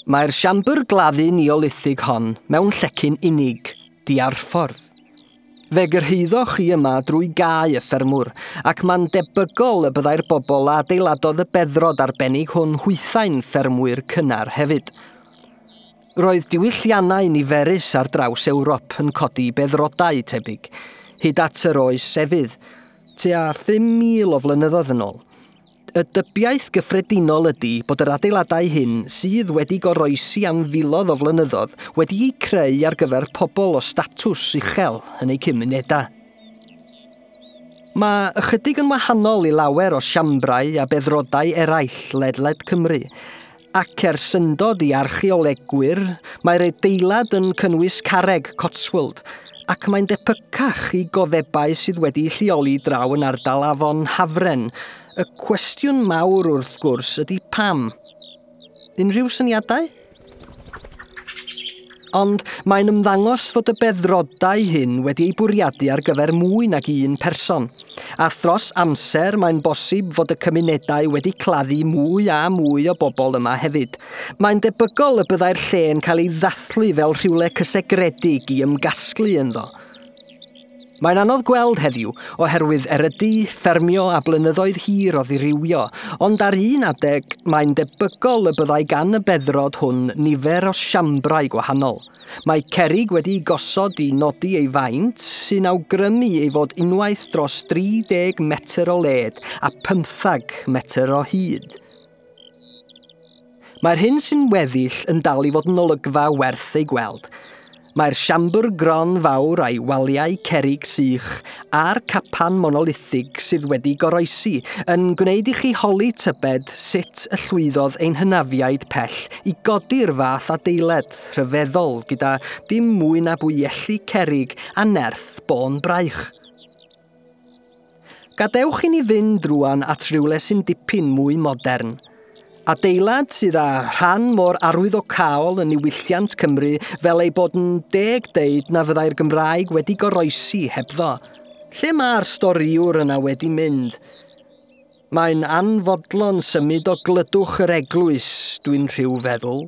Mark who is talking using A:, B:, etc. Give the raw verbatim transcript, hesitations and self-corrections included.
A: Mae'r siambr gladdu neolithig hon mewn llecyn unig, diarffordd. Fe gyrhaeddoch chi yma drwy gae y ffermwr, ac mae'n debygol y byddai'r bobl a adeiladodd y beddrod arbennig hwn hwythau'n ffermwyr cynnar hefyd. Roedd diwylliannau niferus ar draws Ewrop yn codi beddrodau tebyg, hyd at yr oes efydd, tua phum mil o flynyddoedd yn ôl. Y dybiaeth gyffredinol ydy bod yr adeiladau hyn sydd wedi goroesi am filoedd o flynyddoedd wedi'u creu ar gyfer pobl o statws uchel yn eu cymunedau. Mae ychydig yn wahanol i lawer o siambrau a beddrodau eraill ledled Cymru, ac er syndod i archeolegwyr, mae'r adeilad yn cynnwys carreg Cotswold, ac mae'n debycach i gofebau sydd wedi'u lleoli draw yn ardal Afon Hafren. Y cwestiwn mawr wrth gwrs ydy pam? Unrhyw syniadau? Ond mae'n ymddangos fod y beddrodau hyn wedi eu bwriadu ar gyfer mwy nag un person. A thros amser mae'n bosib fod y cymunedau wedi claddu mwy a mwy o bobl yma hefyd. Mae'n debygol y byddai'r lle'n cael ei ddathlu fel rhywle cysegredig i ymgasglu ynddo. Mae'n anodd gweld heddiw oherwydd erydu, ffermio a blynyddoedd hir o ddirywio, ond ar un adeg mae'n debygol y byddai gan y beddrod hwn nifer o siambrau gwahanol. Mae cerrig wedi'i gosod i nodi ei faint, sy'n awgrymu ei fod unwaith dros dri deg metr o led a pymthag metr o hyd. Mae'r hyn sy'n weddill yn dal i fod yn olygfa werth ei gweld. Mae'r siambr gron fawr a'i waliau cerrig sych a'r capan monolithig sydd wedi goroesi yn gwneud i chi holi tybed sut y llwyddodd ein hynafiaid pell i godi'r fath adeiled rhyfeddol gyda dim mwy na bwyelli cerrig a nerth bôn braich. Gadewch i ni fynd rŵan at rywle sy'n dipyn mwy modern. Adeilad sydd â rhan mor arwyddocaol yn niwylliant Cymru fel ei bod yn deg deud na fyddai'r Gymraeg wedi goroesi hebddo. Lle mae'r storïwr yna wedi mynd? Mae'n anfodlon symud o glydwch yr eglwys, dwi'n rhyw feddwl.